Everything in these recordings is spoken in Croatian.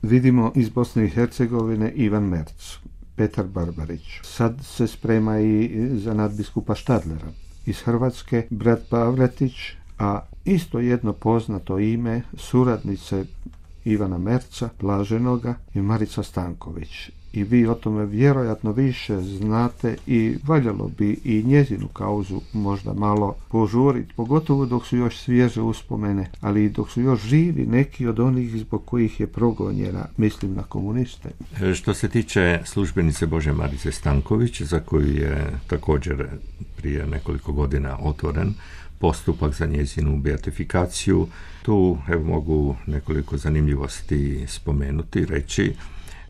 Vidimo iz Bosne i Hercegovine Ivan Merc, Petar Barbarić. Sad se sprema i za nadbiskupa Štadlera. Iz Hrvatske brat Pavletić, a isto jedno poznato ime suradnice Ivana Merca, blaženoga, i Marica Stanković. I vi o tome vjerojatno više znate i valjalo bi i njezinu kauzu možda malo požuriti, pogotovo dok su još svježe uspomene, ali i dok su još živi neki od onih zbog kojih je progonjena, mislim na komuniste. Što se tiče službenice Božje Marice Stanković, za koju je također prije nekoliko godina otvoren postupak za njezinu beatifikaciju, tu mogu nekoliko zanimljivosti spomenuti, reći.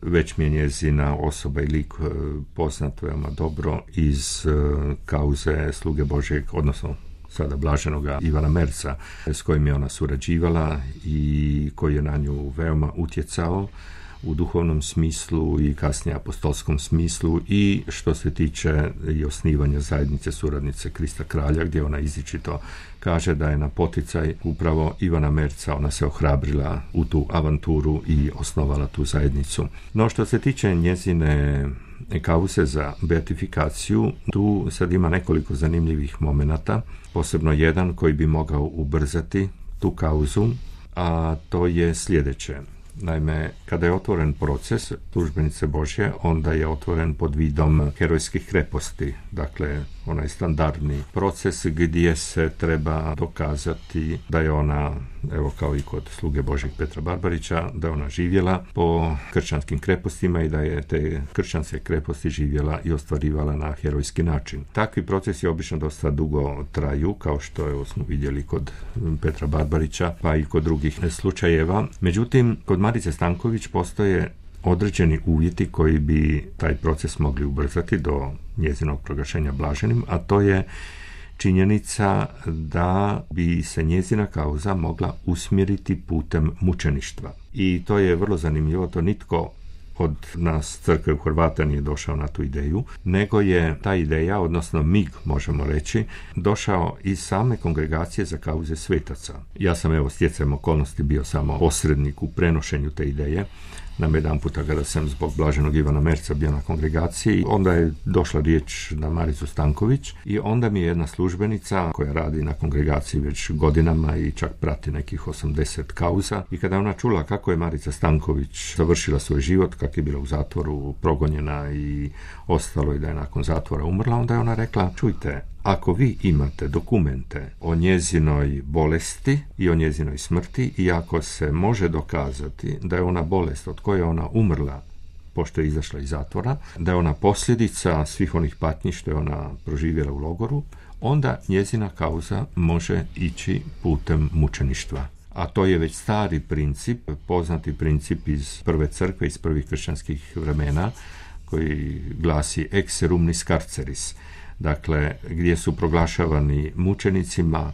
Već mi je njezina osoba i lik poznat veoma dobro iz kauze sluge Božjeg, odnosno sada blaženoga Ivana Merca, s kojim je ona surađivala i koji je na nju veoma utjecao u duhovnom smislu i kasnije apostolskom smislu, i što se tiče i osnivanja zajednice suradnice Krista Kralja, gdje ona izričito kaže da je na poticaj upravo Ivana Merca ona se ohrabrila u tu avanturu i osnovala tu zajednicu. No što se tiče njezine kauze za beatifikaciju, tu sad ima nekoliko zanimljivih momenata, posebno jedan koji bi mogao ubrzati tu kauzu, a to je sljedeće. Naime, kada je otvoren proces službenice Božje, onda je otvoren pod vidom herojskih kreposti, dakle onaj standardni proces gdje se treba dokazati da je ona, evo kao i kod sluge Božjeg Petra Barbarića, da je ona živjela po kršćanskim krepostima i da je te kršćanske kreposti živjela i ostvarivala na herojski način. Takvi procesi obično dosta dugo traju, kao što smo vidjeli kod Petra Barbarića, pa i kod drugih slučajeva. Međutim, kod Marice Stanković postoje određeni uvjeti koji bi taj proces mogli ubrzati do njezinog proglašenja blaženim, a to je činjenica da bi se njezina kauza mogla usmjeriti putem mučeništva. I to je vrlo zanimljivo, to nitko od nas crkve u Hrvata nije došao na tu ideju, nego je ta ideja, odnosno mig možemo reći, došao iz same kongregacije za kauze svetaca. Ja sam stjecajem okolnosti bio samo posrednik u prenošenju te ideje. Nam jedan puta kada sam zbog blaženog Ivana Merca bio na kongregaciji, onda je došla riječ na Maricu Stanković i onda mi je jedna službenica koja radi na kongregaciji već godinama i čak prati nekih 80 kauza, i kada ona čula kako je Marica Stanković završila svoj život, kako je bila u zatvoru, progonjena i ostalo i da je nakon zatvora umrla, onda je ona rekla: čujte, ako vi imate dokumente o njezinoj bolesti i o njezinoj smrti i ako se može dokazati da je ona bolest od koje je ona umrla pošto je izašla iz zatvora, da je ona posljedica svih onih patnji što je ona proživjela u logoru, onda njezina kauza može ići putem mučeništva. A to je već stari princip, poznati princip iz prve crkve, iz prvih kršćanskih vremena, koji glasi ex serumnis carceris. Dakle, gdje su proglašavani mučenicima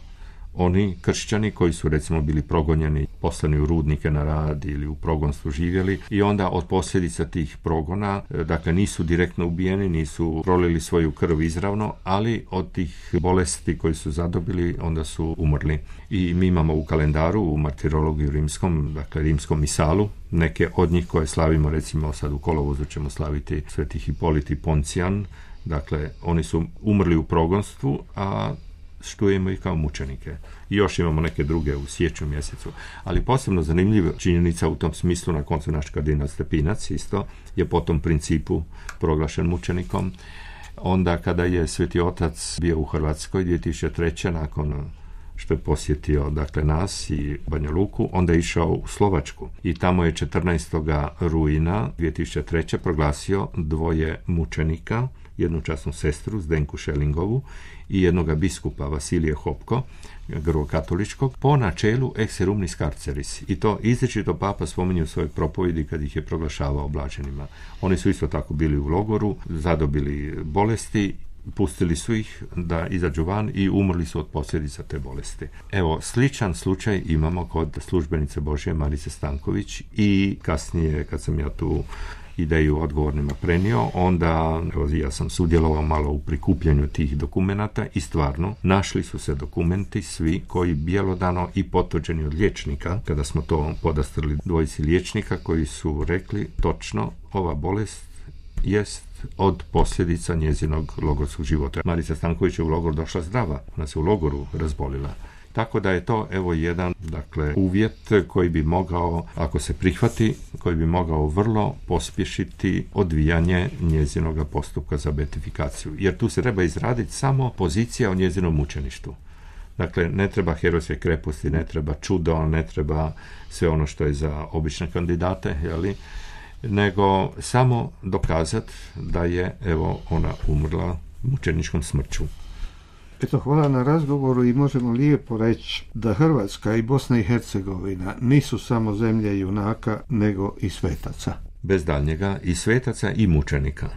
oni kršćani koji su recimo bili progonjeni, poslani u rudnike na rad ili u progonstvu živjeli, i onda od posljedica tih progona, dakle nisu direktno ubijeni, nisu prolili svoju krv izravno, ali od tih bolesti koji su zadobili onda su umrli. I mi imamo u kalendaru, u martirologiju rimskom, dakle rimskom misalu, neke od njih koje slavimo, recimo sad u kolovozu ćemo slaviti Sveti Hipolit i Poncijan. Dakle, oni su umrli u progonstvu, a štujemo ih kao mučenike. I još imamo neke druge u siječnju mjesecu. Ali posebno zanimljiva činjenica u tom smislu, na koncu naš kardinal Stepinac isto je po tom principu proglašen mučenikom. Onda kada je Sveti Otac bio u Hrvatskoj 2003. nakon što je posjetio nas i Banja Luku, onda je išao u Slovačku i tamo je 14. rujna 2003. proglasio dvoje mučenika, jednu časnu sestru Zdenku Šelingovu i jednoga biskupa Vasilije Hopko, grkokatoličkog, po načelu ex serumnis carceris. I to izričito papa spominje u svojoj propovjedi kad ih je proglašavao blaženima. Oni su isto tako bili u logoru, zadobili bolesti, pustili su ih da izađu van i umrli su od posljedica te bolesti. Evo, sličan slučaj imamo kod službenice Božje Marice Stanković i kasnije, kad sam ja tu ideju odgovornima prenio, onda ja sam sudjelovao malo u prikupljanju tih dokumenata i stvarno našli su se dokumenti svi koji bjelodano i potvrđeni od liječnika, kada smo to podastrli dvojici liječnika koji su rekli točno ova bolest jest od posljedica njezinog logorskog života. Marica Stanković je u logor došla zdrava, ona se u logoru razbolila. Tako da je to jedan uvjet koji bi mogao, ako se prihvati, koji bi mogao vrlo pospješiti odvijanje njezinoga postupka za beatifikaciju. Jer tu se treba izraditi samo pozicija o njezinom mučeništvu. Dakle, ne treba herojske kreposti, ne treba čudo, ne treba sve ono što je za obične kandidate, nego samo dokazati da je ona umrla mučeničkom smrću. Eto, hvala na razgovoru i možemo lijepo reći da Hrvatska i Bosna i Hercegovina nisu samo zemlje junaka, nego i svetaca. Bez daljnjega i svetaca i mučenika.